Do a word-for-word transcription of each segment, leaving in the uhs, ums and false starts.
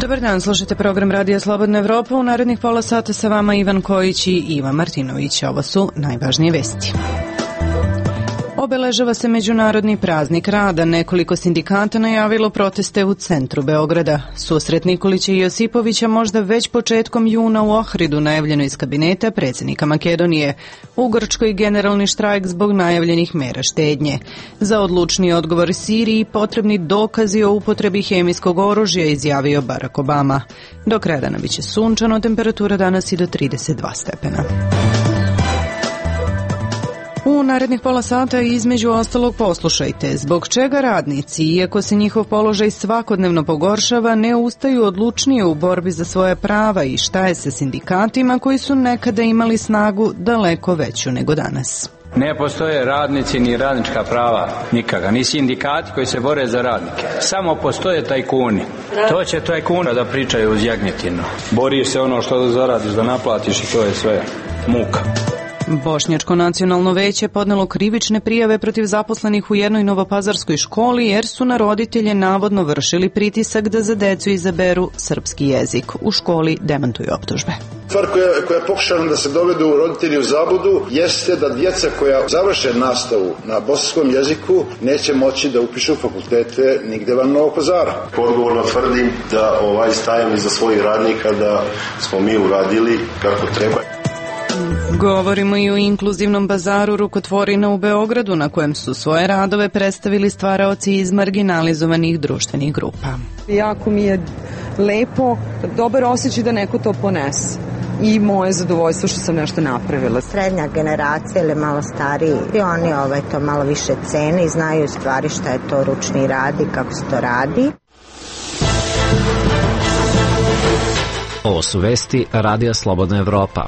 Dobar dan, slušajte program Radija Slobodna Evropa. U narednih pola sata sa vama Ivan Kojić i Ivan Martinović. Ovo su najvažnije vesti. Obeležava se Međunarodni praznik rada. Nekoliko sindikata najavilo proteste u centru Beograda. Susret Nikolića i Josipovića možda već početkom juna u Ohridu, najavljeno iz kabineta predsjednika Makedonije. U Grčkoj generalni štrajk zbog najavljenih mera štednje. Za odlučni odgovor Siriji potrebni dokazi o upotrebi hemijskog oružja, izjavio Barack Obama. Do kraja dana biće sunčano, temperatura danas i do trideset dva stepena. U narednih pola sata između ostalog poslušajte zbog čega radnici, iako se njihov položaj svakodnevno pogoršava, ne ustaju odlučnije u borbi za svoje prava i šta je sa sindikatima koji su nekada imali snagu daleko veću nego danas. Ne postoje radnici ni radnička prava nikada, ni sindikati koji se bore za radnike. Samo postoje tajkuni. To će tajkuna da pričaju uz jagnjetinu. Boriš se ono što da zaradiš, da naplatiš i to je sve muka. Bošnjačko nacionalno veće podnelo krivične prijave protiv zaposlenih u jednoj novopazarskoj školi jer su na roditelje navodno vršili pritisak da za decu izaberu srpski jezik. U školi demantuju optužbe. Stvar koja, koja je pokušana da se dovedu roditelji u zabludu jeste da djeca koja završe nastavu na bosanskom jeziku neće moći da upišu fakultete nigde van Novog Pazara. Odgovorno tvrdim da ovaj stajem iza svojih radnika da smo mi uradili kako treba. Govorimo i o inkluzivnom bazaru rukotvorina u Beogradu na kojem su svoje radove predstavili stvaraoci iz marginalizovanih društvenih grupa. Jako mi je lepo, dobar osjećaj da neko to ponese. I moje zadovoljstvo što sam nešto napravila. Srednja generacija ili malo stariji, i oni ovaj, to malo više cene i znaju stvari šta je to ručni rad i kako se to radi. Ovo su vesti Radija Slobodna Evropa.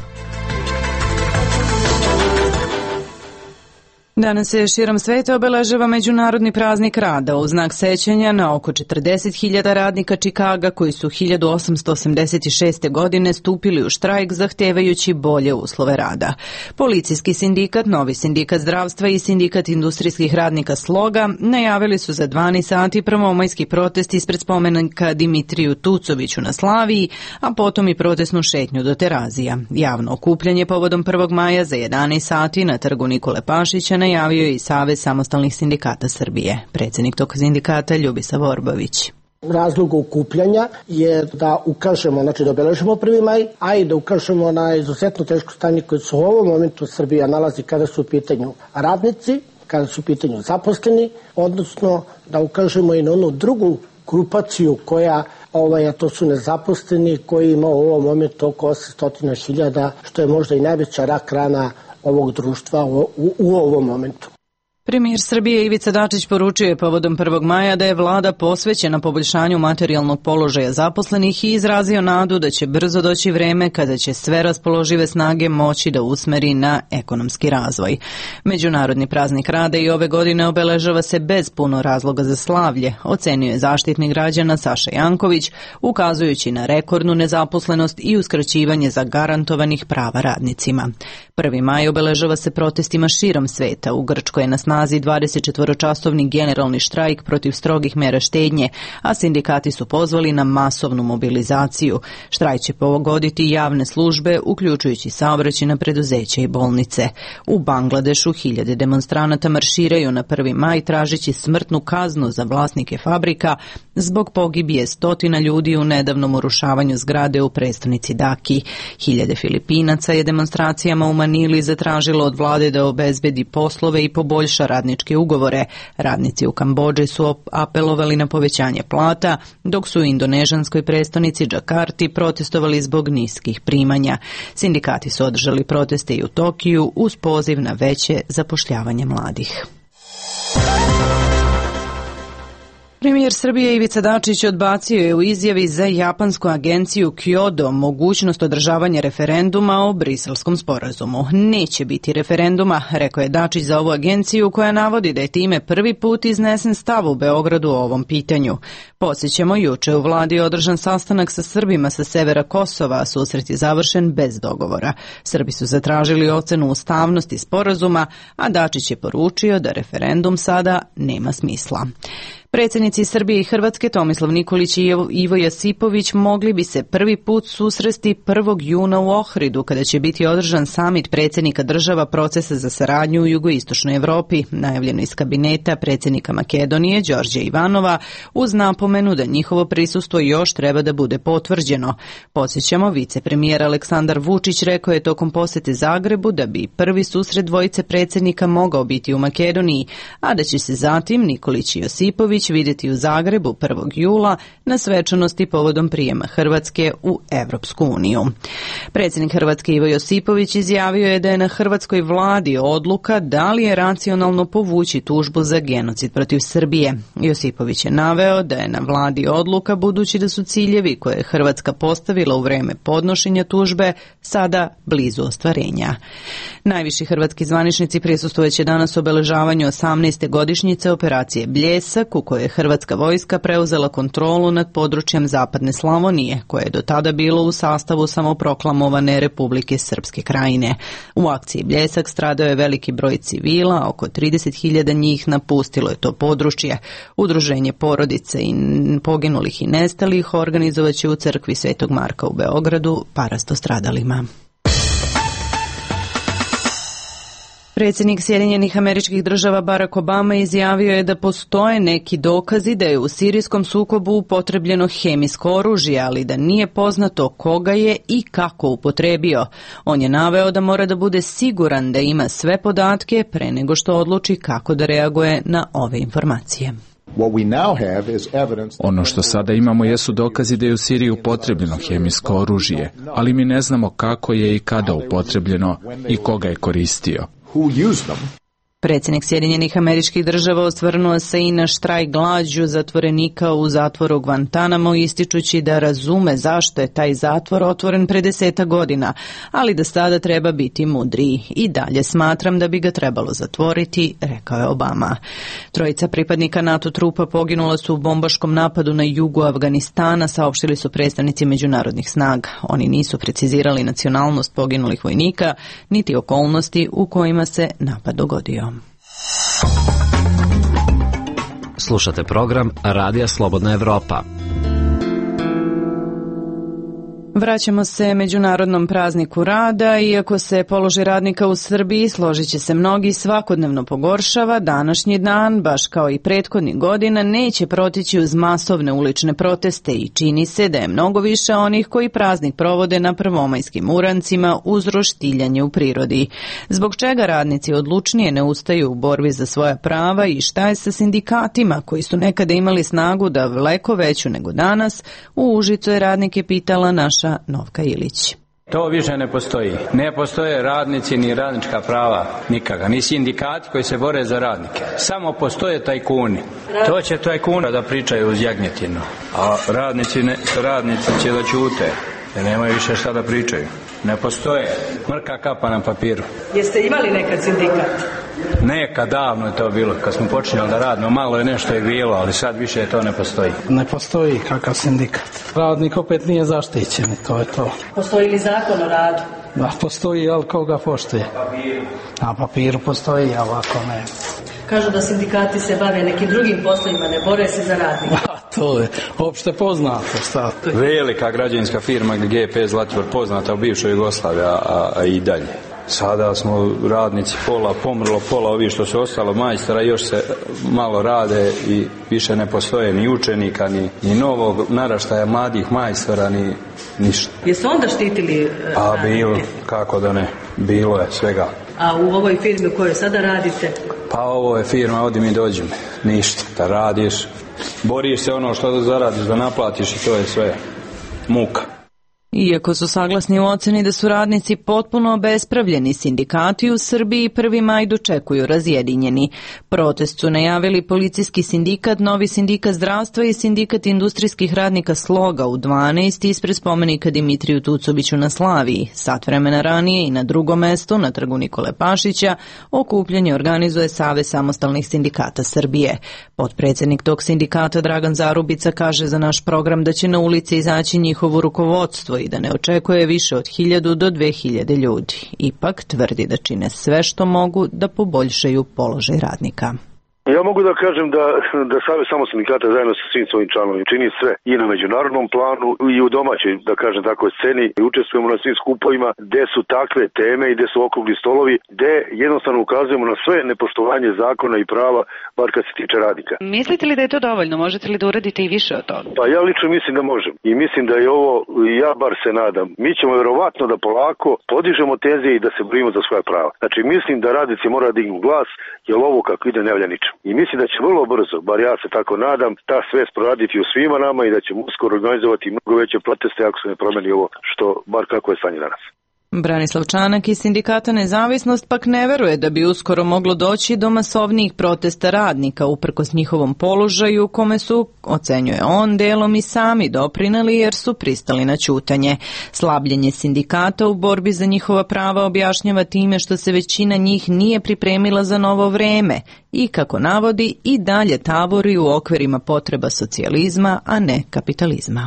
Danas se širom sveta obeležava Međunarodni praznik rada u znak sećanja na oko četrdeset hiljada radnika Čikaga koji su hiljadu osamsto osamdeset šeste. godine stupili u štrajk zahtevajući bolje uslove rada. Policijski sindikat, Novi sindikat zdravstva i sindikat industrijskih radnika Sloga najavili su za dvanaest sati prvomajski protest ispred spomenika Dimitriju Tucoviću na Slaviji, a potom i protestnu šetnju do Terazija. Javno okupljanje povodom prvog maja za jedanaest sati na trgu Nikole Pašića najavio je i Savez samostalnih sindikata Srbije. Predsjednik tog sindikata Ljubisa Vorbović. Razlog okupljanja je da ukažemo, znači da obeležimo prvi maj, a i da ukažemo na izuzetno teško stanje koje se u ovom momentu Srbija nalazi kada su u pitanju radnici, kada su u pitanju zaposleni, odnosno da ukažemo i na onu drugu grupaciju koja, ovaj, a to su nezaposleni, koji ima u ovom momentu oko osamsto hiljada, što je možda i najveća rak rana ovog društva u, u, u ovom momentu. Premijer Srbije Ivica Dačić poručio je povodom prvog maja da je vlada posvećena poboljšanju materijalnog položaja zaposlenih i izrazio nadu da će brzo doći vreme kada će sve raspoložive snage moći da usmeri na ekonomski razvoj. Međunarodni praznik rada i ove godine obeležava se bez puno razloga za slavlje, ocenio je zaštitnik građana Saša Janković, ukazujući na rekordnu nezaposlenost i uskraćivanje zagarantovanih prava radnicima. Prvi maj obeležava se protestima širom sveta. U Grčkoj je na snazi dvadesetčetvoročasovni generalni štrajk protiv strogih mera štednje, a sindikati su pozvali na masovnu mobilizaciju. Štrajk će pogoditi javne službe, uključujući saobraćajna preduzeća i bolnice. U Bangladešu hiljade demonstranata marširaju na prvi maj tražeći smrtnu kaznu za vlasnike fabrika zbog pogibije stotina ljudi u nedavnom urušavanju zgrade u prestonici Daki. Hiljade Filipinaca je demonstracijama u Manili zatražilo od vlade da obezbedi poslove i poboljša radničke ugovore. Radnici u Kambodži su apelovali na povećanje plata, dok su u indonežanskoj prestonici Džakarti protestovali zbog niskih primanja. Sindikati su održali proteste i u Tokiju uz poziv na veće zapošljavanje mladih. Premijer Srbije Ivica Dačić odbacio je u izjavi za japansku agenciju Kyodo mogućnost održavanja referenduma o Briselskom sporazumu. Neće biti referenduma, rekao je Dačić za ovu agenciju koja navodi da je time prvi put iznesen stav u Beogradu o ovom pitanju. Podsjećamo, juče u vladi održan sastanak sa Srbima sa severa Kosova, a susret je završen bez dogovora. Srbi su zatražili ocenu ustavnosti sporazuma, a Dačić je poručio da referendum sada nema smisla. Predsjednici Srbije i Hrvatske Tomislav Nikolić i Ivo Josipović mogli bi se prvi put susresti prvog juna u Ohridu, kada će biti održan samit predsjednika država procesa za saradnju u jugoistočnoj Evropi, najavljeno iz kabineta predsjednika Makedonije Đorđa Ivanova, uz napomenu da njihovo prisustvo još treba da bude potvrđeno. Podsjećamo, vicepremijer Aleksandar Vučić rekao je tokom posete Zagrebu da bi prvi susret dvojice predsjednika mogao biti u Makedoniji, a da će se zatim Nikolić i Josipović vidjeti u Zagrebu prvog jula na svečanosti povodom prijema Hrvatske u Evropsku uniju. Predsjednik Hrvatske Ivo Josipović izjavio je da je na hrvatskoj vladi odluka da li je racionalno povući tužbu za genocid protiv Srbije. Josipović je naveo da je na vladi odluka budući da su ciljevi koje je Hrvatska postavila u vreme podnošenja tužbe sada blizu ostvarenja. Najviši hrvatski zvaničnici prisustvojeće danas obeležavanju osamnaeste godišnjice operacije Bljesak, u kojoj je hrvatska vojska preuzela kontrolu nad područjem Zapadne Slavonije, koje je do tada bilo u sastavu samoproklamovane Republike Srpske Krajine. U akciji Bljesak stradao je veliki broj civila, oko trideset hiljada njih napustilo je to područje. Udruženje porodice i poginulih i nestalih organizovaće u crkvi Svetog Marka u Beogradu parasto stradalima. Predsjednik Sjedinjenih Američkih Država Barack Obama izjavio je da postoje neki dokazi da je u sirijskom sukobu upotrebljeno hemijsko oružje, ali da nije poznato koga je i kako upotrebio. On je naveo da mora da bude siguran da ima sve podatke pre nego što odluči kako da reaguje na ove informacije. Ono što sada imamo jesu dokazi da je u Siriji upotrebljeno hemijsko oružje, ali mi ne znamo kako je i kada upotrebljeno i koga je koristio. Predsjednik Sjedinjenih Američkih Država osvrnuo se i na štrajk glađu zatvorenika u zatvoru Guantanamo, ističući da razume zašto je taj zatvor otvoren pre deseta godina, ali da sada treba biti mudriji. I dalje smatram da bi ga trebalo zatvoriti, rekao je Obama. Trojica pripadnika NATO trupa poginula su u bombaškom napadu na jugu Afganistana, saopštili su predstavnici međunarodnih snaga. Oni nisu precizirali nacionalnost poginulih vojnika, niti okolnosti u kojima se napad dogodio. Slušate program Radija Slobodna Evropa. Vraćamo se Međunarodnom prazniku rada. Iako se položaj radnika u Srbiji, složit će se mnogi, svakodnevno pogoršava, današnji dan, baš kao i prethodnih godina, neće protići uz masovne ulične proteste i čini se da je mnogo više onih koji praznik provode na prvomajskim urancima uz roštiljanje u prirodi. Zbog čega radnici odlučnije ne ustaju u borbi za svoja prava i šta je sa sindikatima koji su nekada imali snagu da daleko veću nego danas, u Užicu je radnike pitala naša Novka Ilić. To više ne postoji. Ne postoje radnici ni radnička prava nikakva, ni sindikati koji se bore za radnike. Samo postoje tajkuni. To će tajkuna da pričaju uz jagnjetinu, a radnici, ne, radnici će da ćute, jer nemaju više šta da pričaju. Ne postoje. Mrka kapa na papiru. Jeste imali nekad sindikat? Nekad, davno je to bilo, kad smo počinjali da radimo, malo je nešto je bilo, ali sad više to ne postoji. Ne postoji kakav sindikat. Radnik opet nije zaštićen, to je to. Postoji li zakon o radu? Da, postoji, ali koga poštuje? Na papiru. Na papiru postoji, a ovako ne. Kažu da sindikati se bave nekim drugim poslovima, ne bore se za radnika. A, to je opšte poznato, šta? Velika građevinska firma G P Zlatibor, poznata u bivšoj Jugoslaviji, a, a i dalje. Sada smo radnici pola, pomrlo pola, ovi što su ostalo majstora, još se malo rade i više ne postoje ni učenika, ni, ni novog naraštaja mladih majstora, ni ništa. Jesu onda štitili radnike? A bilo, kako da ne, bilo je svega. A u ovoj firmi u kojoj sada radite? Pa ovo je firma, odi mi dođi mi, ništa, da radiš, boriš se ono što da zaradiš, da naplatiš i to je sve muka. Iako su saglasni u oceni da su radnici potpuno obespravljeni, sindikati u Srbiji prvi maj dočekuju razjedinjeni. Protest su najavili policijski sindikat, novi sindikat zdravstva i sindikat industrijskih radnika Sloga u dvanaest ispred spomenika Dimitriju Tucoviću na Slaviji. Sat vremena ranije i na drugom mestu, na trgu Nikole Pašića, okupljanje organizuje Savez samostalnih sindikata Srbije. Potpredsjednik tog sindikata Dragan Zarubica kaže za naš program da će na ulici izaći njihovo rukovodstvo i da ne očekuje više od hiljadu do dve hiljade ljudi. Ipak tvrdi da čine sve što mogu da poboljšaju položaj radnika. Ja mogu da kažem da, da Savez samo sindikata zajedno sa svim svojim članovima čini sve i na međunarodnom planu i u domaćoj, da kažem tako, sceni i učestvujemo na svim skupovima gde su takve teme i gde su okrugli stolovi, gde jednostavno ukazujemo na sve nepoštovanje zakona i prava, bar kad se tiče radnika. Mislite li da je to dovoljno? Možete li da uradite i više od toga? Pa ja lično mislim da možem i mislim da je ovo, ja bar se nadam, mi ćemo verovatno da polako podižemo tenzije i da se borimo za svoja prava. Znači mislim da radnici moraju da dignu glas, jer ovo kako ide ne valja ničem. I mislim da će vrlo brzo, bar ja se tako nadam, ta svest proraditi u svima nama i da ćemo uskoro organizovati mnogo veće proteste ako se ne promeni ovo što, bar kako je stanje danas. Branislav Čanak iz Sindikata Nezavisnost pak ne veruje da bi uskoro moglo doći do masovnijih protesta radnika uprkos njihovom položaju kome su, ocenjuje on, delom i sami doprineli jer su pristali na ćutanje. Slabljenje sindikata u borbi za njihova prava objašnjava time što se većina njih nije pripremila za novo vreme i, kako navodi, i dalje tavori u okvirima potreba socijalizma, a ne kapitalizma.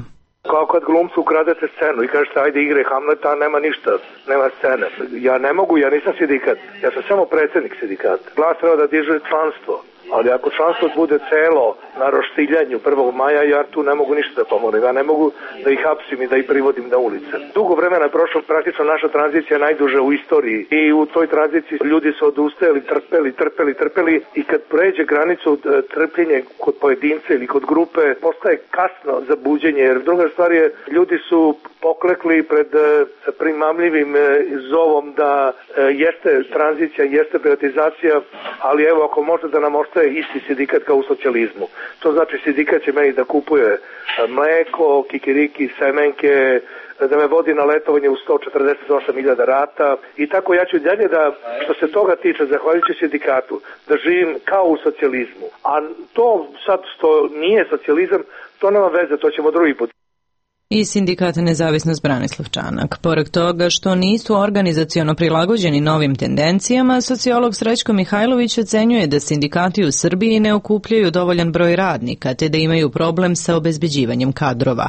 Kao kad glumcu ukradete scenu i kažete ajde igre Hamleta, nema ništa, nema scene. Ja ne mogu, ja nisam sindikat, ja sam samo predsjednik sindikata. Glas treba da diže članstvo, ali ako članstvo bude celo na roštiljanju prvog maja, ja tu ne mogu ništa da pomorim. Ja ne mogu da ih hapsim i da ih privodim na ulice. Dugo vremena je prošlo, praktično naša tranzicija najduža u istoriji i u toj tranziciji ljudi su odustajali, trpeli, trpeli, trpeli i kad pređe granicu trpljenje kod pojedinca ili kod grupe, postaje kasno za buđenje, jer druga stvar je, ljudi su poklekli pred primamljivim zovom da jeste tranzicija, jeste privatizacija, ali evo ako može da nam ostaje isti sindikat kao u socijalizmu. To znači sindikat će meni da kupuje mleko, kikiriki, semenke, da me vodi na letovanje u sto četrdeset osam hiljada rata i tako ja ću dalje da, što se toga tiče, zahvaljujući sindikatu, da živim kao u socijalizmu. A to sad što nije socijalizam, to nema veze, to ćemo drugi put. I Sindikata Nezavisnost Branislav Čanak. Pored toga što nisu organizaciono prilagođeni novim tendencijama, sociolog Srećko Mihajlović ocenjuje da sindikati u Srbiji ne okupljaju dovoljan broj radnika, te da imaju problem sa obezbeđivanjem kadrova.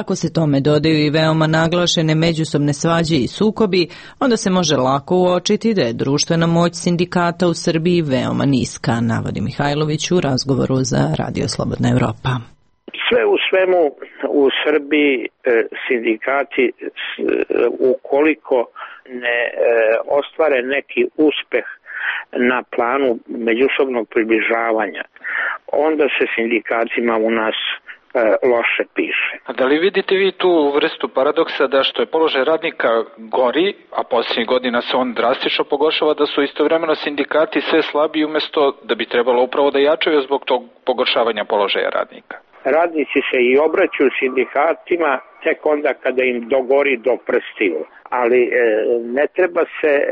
Ako se tome dodaju i veoma naglašene međusobne svađe i sukobi, onda se može lako uočiti da je društvena moć sindikata u Srbiji veoma niska, navodi Mihajlović u razgovoru za Radio Slobodna Evropa. Sve u svemu u Srbiji sindikati ukoliko ne ostvare neki uspeh na planu međusobnog približavanja, onda se sindikatima u nas loše piše. A da li vidite vi tu vrstu paradoksa da što je položaj radnika gori, a posljednjih godina se on drastično pogoršava, da su istovremeno sindikati sve slabiji umjesto da bi trebalo upravo da jačaju zbog tog pogoršavanja položaja radnika? Radnici se i obraćaju sindikatima tek onda kada im dogori do prstiju. Ali e, ne treba se e,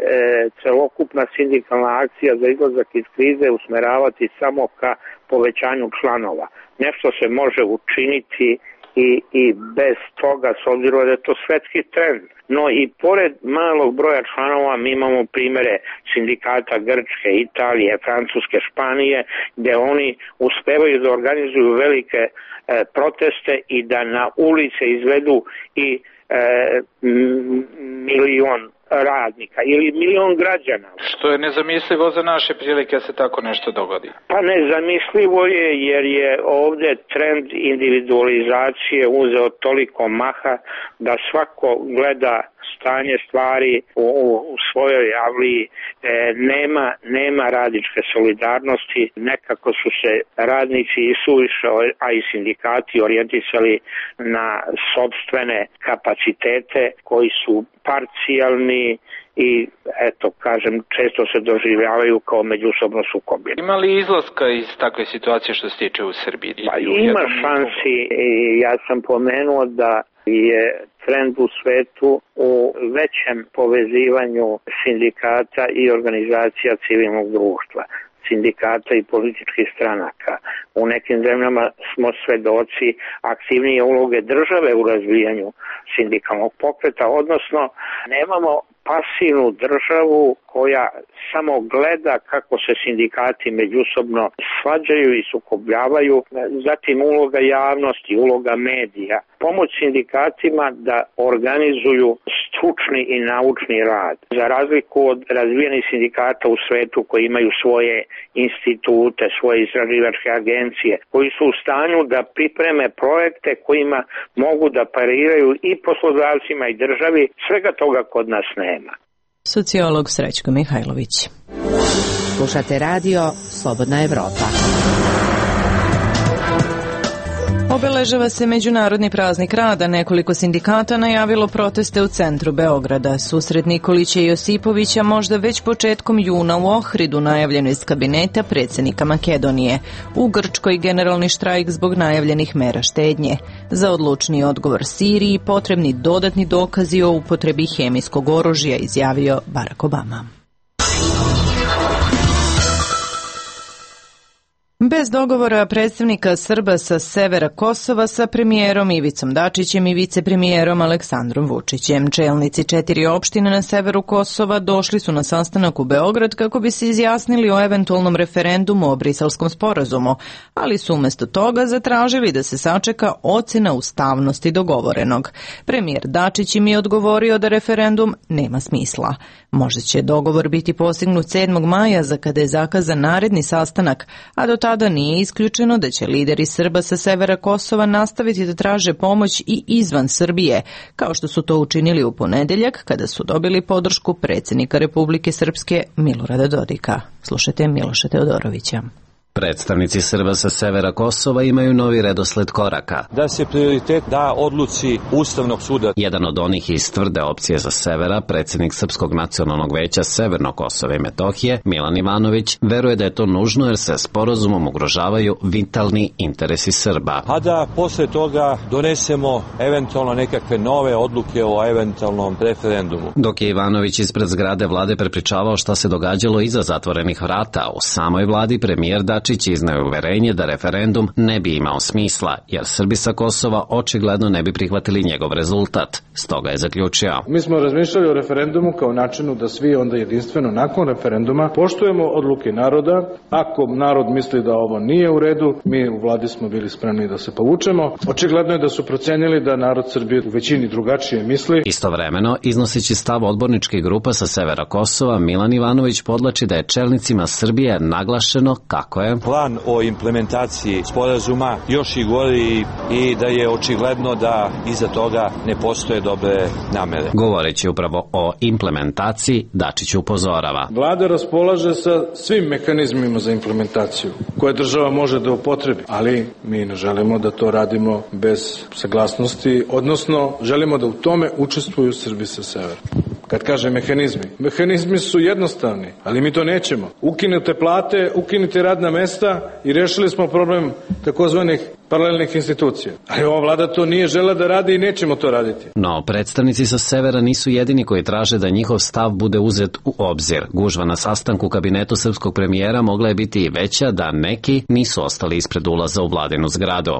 celokupna sindikalna akcija za izlazak iz krize usmeravati samo ka povećanju članova. Nešto se može učiniti i, i bez toga, s obzirom da je to svetski trend. No i pored malog broja članova mi imamo primere sindikata Grčke, Italije, Francuske, Španije, gde oni uspevaju da organizuju velike e, proteste i da na ulice izvedu i e, milion radnika ili milion građana. Što je nezamislivo za naše prilike da se tako nešto dogodi? Pa nezamislivo je jer je ovde trend individualizacije uzeo toliko maha da svako gleda stanje stvari u, u svojoj avliji, e, nema, nema radničke solidarnosti, nekako su se radnici i suviše, a i sindikati orijentisali na sopstvene kapacitete koji su parcijalni i eto, kažem, često se doživljavaju kao međusobno sukobljeni. Ima li izlaska iz takve situacije što se tiče u Srbiji? Pa ima šansi i ja sam pomenuo da je trend u svetu u većem povezivanju sindikata i organizacija civilnog društva, sindikata i političkih stranaka. U nekim zemljama smo svedoci aktivnije uloge države u razvijanju sindikalnog pokreta, odnosno nemamo pasivnu državu koja samo gleda kako se sindikati međusobno svađaju i sukobljavaju, zatim uloga javnosti, uloga medija, pomoć sindikatima da organizuju stručni i naučni rad. Za razliku od razvijenih sindikata u svetu koji imaju svoje institute, svoje istraživačke agencije, koji su u stanju da pripreme projekte kojima mogu da pariraju i poslodavcima i državi, svega toga kod nas nema. Sociolog Srećko Mihajlović. Slušate radio Slobodna Evropa. Obeležava se Međunarodni praznik rada. Nekoliko sindikata najavilo proteste u centru Beograda. Susret Nikolića i Josipovića možda već početkom juna u Ohridu, najavljeno iz kabineta predsjednika Makedonije. U Grčkoj generalni štrajk zbog najavljenih mera štednje. Za odlučni odgovor Siriji potrebni dodatni dokazi o upotrebi hemijskog oružja, izjavio Barack Obama. Bez dogovora predstavnika Srba sa severa Kosova sa premijerom Ivicom Dačićem i vicepremijerom Aleksandrom Vučićem. Čelnici četiri opštine na severu Kosova došli su na sastanak u Beograd kako bi se izjasnili o eventualnom referendumu o Briselskom sporazumu, ali su umjesto toga zatražili da se sačeka ocena ustavnosti dogovorenog. Premijer Dačić im je odgovorio da referendum nema smisla. Možda će dogovor biti postignut sedmog maja, za kada je zakazan naredni sastanak, a do tada nije isključeno da će lideri Srba sa severa Kosova nastaviti da traže pomoć i izvan Srbije, kao što su to učinili u ponedeljak kada su dobili podršku predsjednika Republike Srpske Milorada Dodika. Slušajte Miloša Teodorovića. Predstavnici Srba sa severa Kosova imaju novi redosled koraka. Da se prioritet da odluci Ustavnog suda. Jedan od onih iz tvrde opcije za severa, predsjednik Srpskog nacionalnog veća Severno Kosovo i Metohije, Milan Ivanović, veruje da je to nužno jer se sporazumom ugrožavaju vitalni interesi Srba. A da posle toga donesemo eventualno nekakve nove odluke o eventualnom referendumu. Dok je Ivanović ispred zgrade vlade prepričavao šta se događalo iza zatvorenih vrata, u samoj vladi premijer Dačić izneo uverenje da referendum ne bi imao smisla, jer Srbi sa Kosova očigledno ne bi prihvatili njegov rezultat. Stoga je zaključio. Mi smo razmišljali o referendumu kao načinu da svi onda jedinstveno nakon referenduma poštujemo odluke naroda. Ako narod misli da ovo nije u redu, mi u vladi smo bili spremni da se povučemo. Očigledno je da su procenili da narod Srbije u većini drugačije misli. Istovremeno, iznoseći stav odborničke grupa sa severa Kosova, Milan Ivanović podlači da je čelnicima Srbije naglašeno kako je plan o implementaciji sporazuma još i gori i da je očigledno da iza toga ne postoje dobre namere. Govoreći upravo o implementaciji, Dačić upozorava. Vlada raspolaže sa svim mehanizmima za implementaciju koje država može da upotrebi, ali mi ne želimo da to radimo bez saglasnosti, odnosno želimo da u tome učestvuju Srbi sa severa. Kad kaže mehanizmi, mehanizmi su jednostavni, ali mi to nećemo. Ukinute plate, ukinite radna mesta i rešili smo problem takozvanih paralelnih institucija. Ali ova vlada to nije žela da radi i nećemo to raditi. No, predstavnici sa severa nisu jedini koji traže da njihov stav bude uzet u obzir. Gužva na sastanku u kabinetu srpskog premijera mogla je biti i veća da neki nisu ostali ispred ulaza u vladinu zgradu.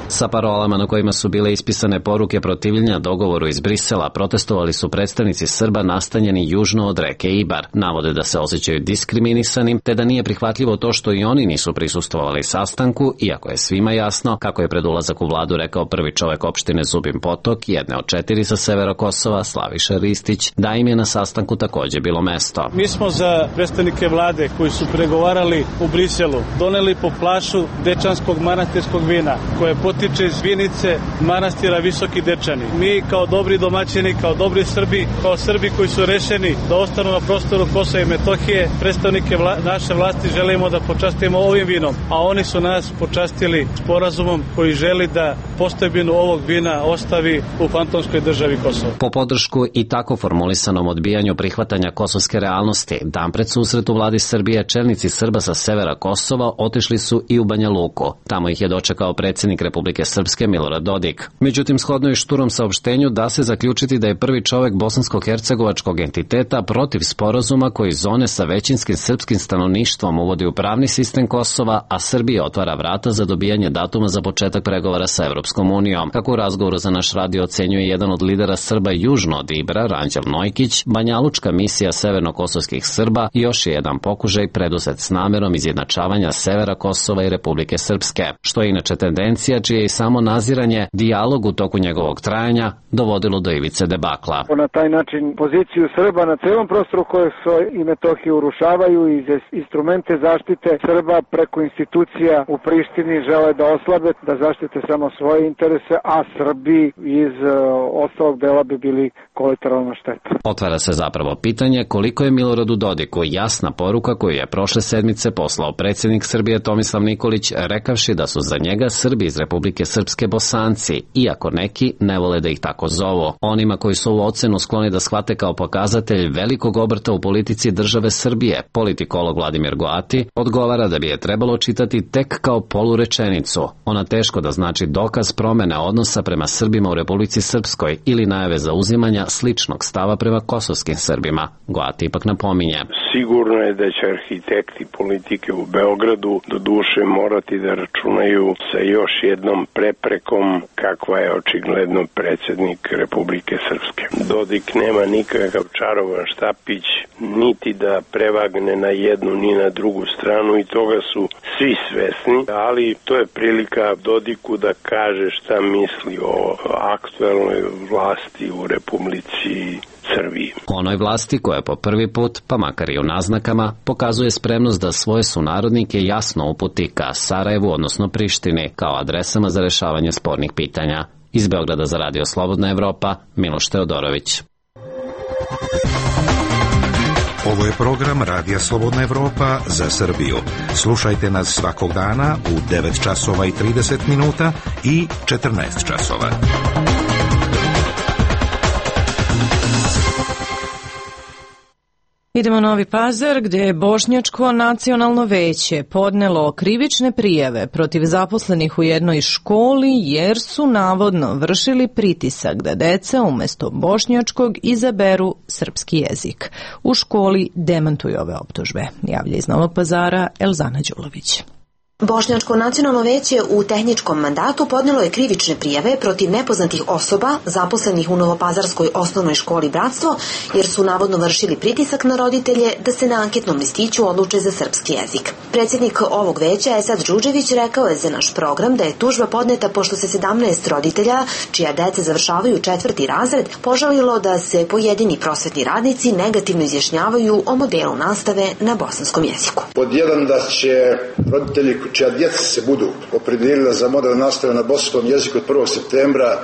Sa parolama na kojima su bile ispisane poruke protivljenja dogovoru iz Brisela protestovali su predstavnici Srba nastanjeni južno od reke Ibar. Navode da se osjećaju diskriminisanim, te da nije prihvatljivo to što i oni nisu prisustvovali sastanku, iako je svima jasno, kako je pred ulazak u vladu rekao prvi čovek opštine Zubin Potok, jedne od četiri sa severa Kosova, Slaviša Ristić, da im je na sastanku takođe bilo mesto. Mi smo za predstavnike vlade koji su pregovarali u Briselu doneli po plašu dečanskog manastirskog vina, koje potiče iz Vinice, manastira Visoki Dečani. Mi kao dobri domaćini, kao dobri Srbi, kao Srbi koji su rešeni da ostanu na prostoru Kosova i Metohije, predstavnike vla, naše vlasti želimo da počastimo ovim vinom, a oni su nas počastili sporazumom koji želi da postojbinu ovog vina ostavi u fantomskoj državi Kosovo. Po podršku i tako formulisanom odbijanju prihvatanja kosovske realnosti, dan pred susret u vladi Srbije, čelnici Srba sa severa Kosova otišli su i u Banja Luku. Tamo ih je dočekao predsjednik Republike Srpske Milorad Dodik. Međutim, shodno je šturom saopštenju da se zaključiti da je prvi čovek bosansko-hercegovačkog entiteta protiv sporazuma koji zone sa većinskim srpskim stanovništvom uvodi u pravni sistem Kosova, a Srbija otvara vrata za dobijanje datuma za početak pregovora sa Evropskom unijom. Kako u razgovoru za naš radio ocenjuje jedan od lidera Srba južno od Ibra, Ranđel Nojkić, banjalučka misija severno-kosovskih Srba još je jedan pokušaj preduzet s namerom izjednačavanja severa Kosova i Republike Srpske, što je inače tendencija čije čije i samo naziranje, dijalog u toku njegovog trajanja, dovodilo do ivice debakla. Na taj način poziciju Srba na celom prostoru koje su i Metohiju urušavaju i instrumente zaštite Srba preko institucija u Prištini žele da oslabe, da zaštite samo svoje interese, a Srbi iz uh, ostalog dela bi bili kolateralna šteta. Otvara se zapravo pitanje koliko je Miloradu Dodiku jasna poruka koju je prošle sedmice poslao predsjednik Srbije Tomislav Nikolić, rekavši da su za njega Srbi iz Republike Srpske Bosanci, iako neki ne vole da ih tako zovu. Onima koji su ovu ocenu skloni da shvate kao pokazatelj velikog obrta u politici države Srbije, politikolog Vladimir Goati odgovara da bi je trebalo čitati tek kao polurečenicu. Ona teško da znači dokaz promene odnosa prema Srbima u Republici Srpskoj ili najave zauzimanja sličnog stava prema kosovskim Srbima. Goati ipak napominje. Sigurno je da će arhitekti politike u Beogradu do duše morati da računaju sa još jednom preprekom kakva je očigledno predsjednik Republike Srpske. Dodik nema nikakav čarovan štapić, niti da prevagne na jednu ni na drugu stranu i toga su svi svesni, ali to je prilika Dodiku da kaže šta misli o aktuelnoj vlasti u Republici Srbiji. Onoj vlasti koja po prvi put, pa makar i u naznakama, pokazuje spremnost da svoje sunarodnike jasno uputi ka Sarajevu, odnosno Prištini, kao adresama za rešavanje spornih pitanja. Iz Beograda za Radio Slobodna Evropa, Miloš Teodorović. Ovo je program Radija Slobodna Evropa za Srbiju. Slušajte nas svakog dana u devet časova i trideset minuta i četrnaest časova. Idemo u Novi Pazar, gdje je Bošnjačko nacionalno veće podnelo krivične prijave protiv zaposlenih u jednoj školi jer su navodno vršili pritisak da deca umjesto bošnjačkog izaberu srpski jezik. U školi demantuju ove optužbe. Javlja iz Novog Pazara Elzana Đulović. Bošnjačko nacionalno veće u tehničkom mandatu podnelo je krivične prijave protiv nepoznatih osoba zaposlenih u Novopazarskoj osnovnoj školi Bratstvo, jer su navodno vršili pritisak na roditelje da se na anketnom listiću odluče za srpski jezik. Predsjednik ovog veća, Esad Đuđević, rekao je za naš program da je tužba podneta pošto se sedamnaest roditelja, čija deca završavaju četvrti razred, požalilo da se pojedini prosvetni radnici negativno izjašnjavaju o modelu nastave na bosanskom jeziku. Pod jedan, da će roditelji čija djeca se budu opredijelila za model nastave na bosanskom jeziku od prvog septembra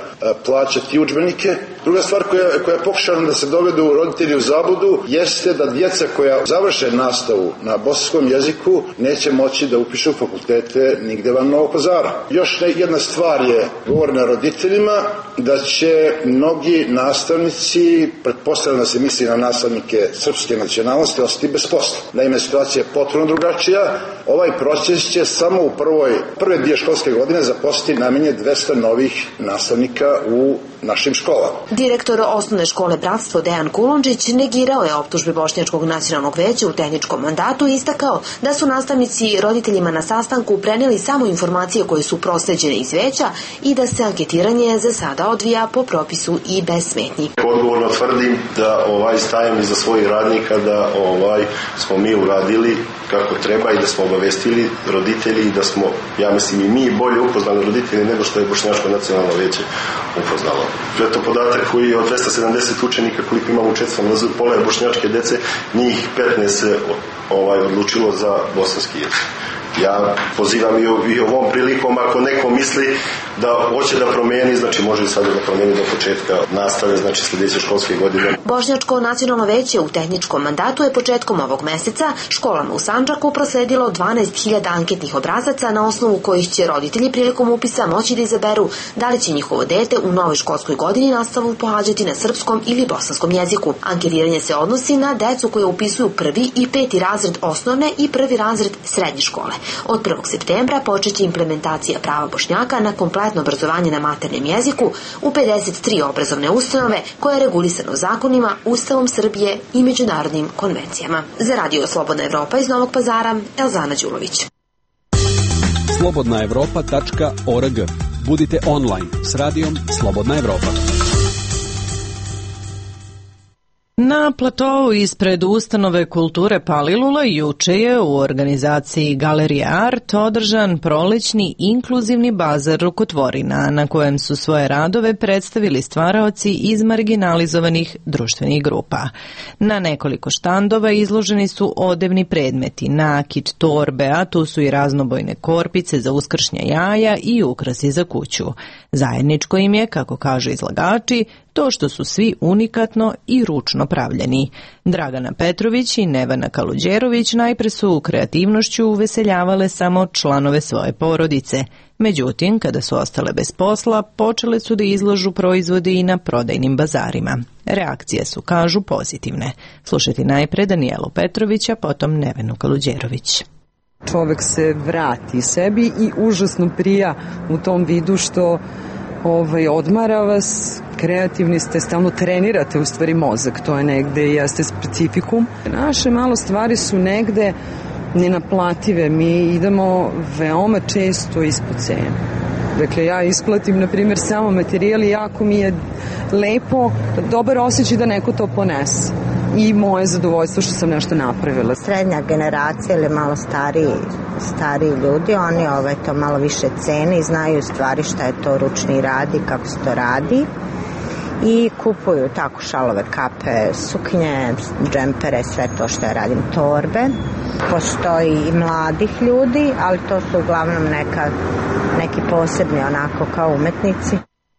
plaćati udžbenike. Druga stvar koja, koja je pokušana da se dovedu roditelji u zabludu jeste da djeca koja završe nastavu na bosanskom jeziku neće moći da upišu fakultete nigde van Novog Pazara. Još jedna stvar je govorena roditeljima da će mnogi nastavnici, pretpostavljam da se misli na nastavnike srpske nacionalnosti, ostati bez posla. Naime, situacija je potpuno drugačija. Ovaj proces će samo u prvoj, prve dvije školske godine zaposliti najmanje dvesta novih nastavnika u našim školama. Direktor osnovne škole Bratstvo Dejan Kulundžić negirao je optužbe Bošnjačkog nacionalnog veća u tehničkom mandatu i istakao da su nastavnici roditeljima na sastanku preneli samo informacije koje su prosleđene iz veća i da se anketiranje za sada odvija po propisu i bez smetnji. Odgovorno tvrdim da ovaj stajem iza svojih radnika, da ovaj smo mi uradili kako treba i da smo obavestili roditelji i da smo, ja mislim, i mi bolje upoznali roditelji nego što je Bošnjačko nacionalno veće upoznalo. Eto podatak koji je od dvesta sedamdeset učenika koliko imamo u četvrtom razredu, pola je bošnjačke dece, njih petnaest se ovaj, odlučilo za bosanski jezik. Ja pozivam i, i ovom prilikom, ako neko misli da hoće da promijeni, znači može i sada da promijeni do početka nastave, znači sljedeće školske godine. Bošnjačko nacionalno veće u tehničkom mandatu je početkom ovog meseca školama u Sandžaku prosledilo dvanaest hiljada anketnih obrazaca na osnovu kojih će roditelji prilikom upisa moći da izaberu da li će njihovo dete u novoj školskoj godini nastavu pohađati na srpskom ili bosanskom jeziku. Anketiranje se odnosi na decu koje upisuju prvi i peti razred osnovne i prvi razred srednje škole. Od prvog septembra počeće implementacija prava Bošnjaka na kompletno obrazovanje na maternjem jeziku u pedeset tri obrazovne ustanove koje je regulisano zakonima, Ustavom Srbije i međunarodnim konvencijama. Za Radio Slobodna Evropa iz Novog Pazara, Elzana Đulović. slobodna evropa tačka org. Budite online s radijom Slobodna Evropa. Na Na platou ispred ustanove kulture Palilula juče je u organizaciji Galerije Art održan prolećni inkluzivni bazar rukotvorina na kojem su svoje radove predstavili stvaraoci iz marginalizovanih društvenih grupa. Na nekoliko štandova izloženi su odevni predmeti, nakit, torbe, a tu su i raznobojne korpice za uskršnja jaja i ukrasi za kuću. Zajedničko im je, kako kažu izlagači, to što su svi unikatno i ručno pravljeni. Dragana Petrović i Nevena Kaluđerović najpre su kreativnošću uveseljavale samo članove svoje porodice. Međutim, kada su ostale bez posla, počele su da izlažu proizvode i na prodajnim bazarima. Reakcije su, kažu, pozitivne. Slušajte najpre Danijelu Petrovića, potom Nevenu Kaluđerović. Čovek se vrati sebi i užasno prija u tom vidu što ovaj, odmara vas, kreativni ste, stalno trenirate u stvari mozak, to je negde i jeste specifikum. Naše malo stvari su negde nenaplative, mi idemo veoma često ispod cene. Dakle, ja isplatim, na primjer, samo materijal i jako mi je lepo, dobar osjećaj da neko to ponese. I moje zadovoljstvo što sam nešto napravila. Srednja generacija ili malo stariji, stariji ljudi, oni ovaj, to malo više cene i znaju stvari šta je to ručni rad i kako se to radi. I kupuju tako šalove, kape, suknje, džempere, sve to što ja radim, torbe. Postoji i mladih ljudi, ali to su uglavnom neka, neki posebni onako kao umetnici.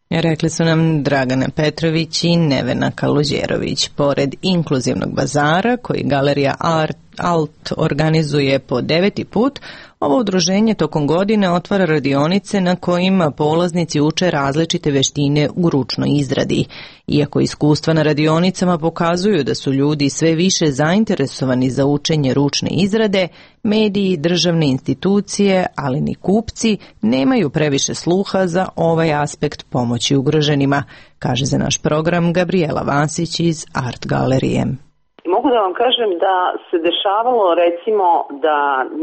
Rekli su nam Dragana Petrović i Nevena Kaluđerović. Pored inkluzivnog bazara koji Galerija Art, Alt organizuje po deveti put, ovo udruženje tokom godine otvara radionice na kojima polaznici uče različite veštine u ručnoj izradi. Iako iskustva na radionicama pokazuju da su ljudi sve više zainteresovani za učenje ručne izrade, mediji, državne institucije, ali ni kupci nemaju previše sluha za ovaj aspekt pomoći ugroženima, kaže za naš program Gabriela Vasić iz Art galerije. Mogu da vam kažem da se dešavalo recimo da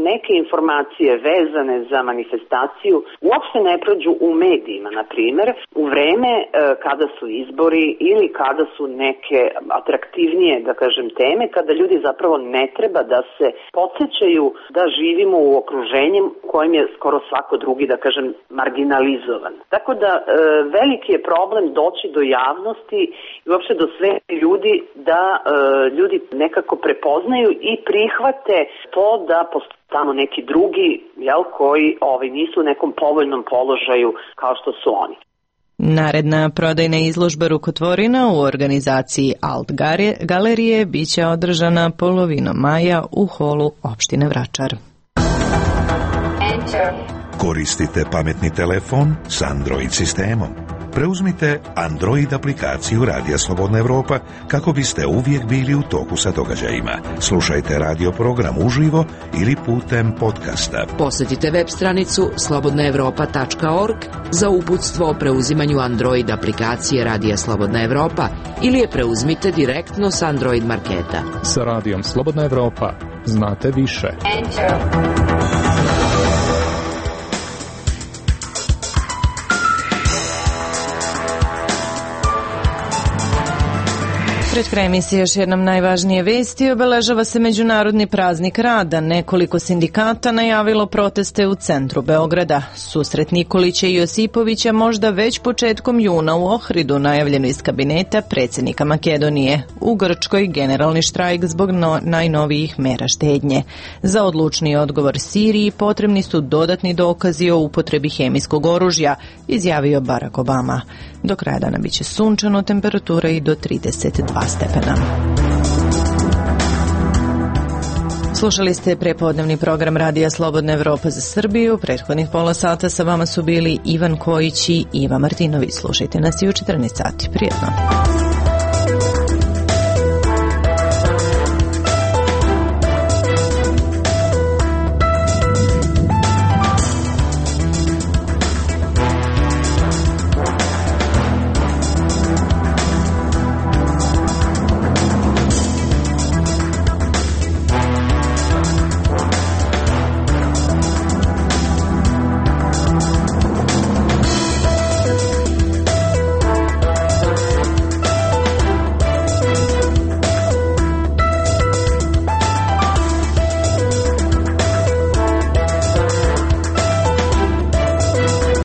neke informacije vezane za manifestaciju uopšte ne prođu u medijima, na primjer, u vreme e, kada su izbori ili kada su neke atraktivnije, da kažem, teme, kada ljudi zapravo ne treba da se podsjećaju da živimo u okruženju kojim je skoro svako drugi, da kažem, marginalizovan. Tako da e, veliki je problem doći do javnosti i uopšte do sve ljudi da e, ljudi nekako prepoznaju i prihvate to da postoje tamo neki drugi, jel, koji ovaj, nisu u nekom povoljnom položaju kao što su oni. Naredna prodajna izložba rukotvorina u organizaciji Alt galerije biće održana polovinom maja u holu opštine Vračar. Koristite pametni telefon s Android sistemom. Preuzmite Android aplikaciju Radija Slobodna Evropa kako biste uvijek bili u toku sa događajima. Slušajte radio program uživo ili putem podcasta. Posjetite web stranicu slobodna evropa tačka org za uputstvo o preuzimanju Android aplikacije Radija Slobodna Evropa ili je preuzmite direktno s Android marketa. Sa Radijom Slobodna Evropa znate više. Enter. Pred kraj emisije još jednom najvažnije vesti. Obeležava se Međunarodni praznik rada. Nekoliko sindikata najavilo proteste u centru Beograda. Susret Nikolića i Josipovića možda već početkom juna u Ohridu, najavljeno iz kabineta predsjednika Makedonije. U Grčkoj generalni štrajk zbog no, najnovijih mera štednje. Za odlučni odgovor Siriji potrebni su dodatni dokazi o upotrebi hemijskog oružja, izjavio Barack Obama. Do kraja dana biće sunčano, temperatura i do trideset dva stepena. Slušali ste prepodnevni program Radija Slobodna Evropa za Srbiju. Prethodnih pola sata sa vama su bili Ivan Kojić i Iva Martinović. Slušajte nas i u četrnaest sati. Prijetno.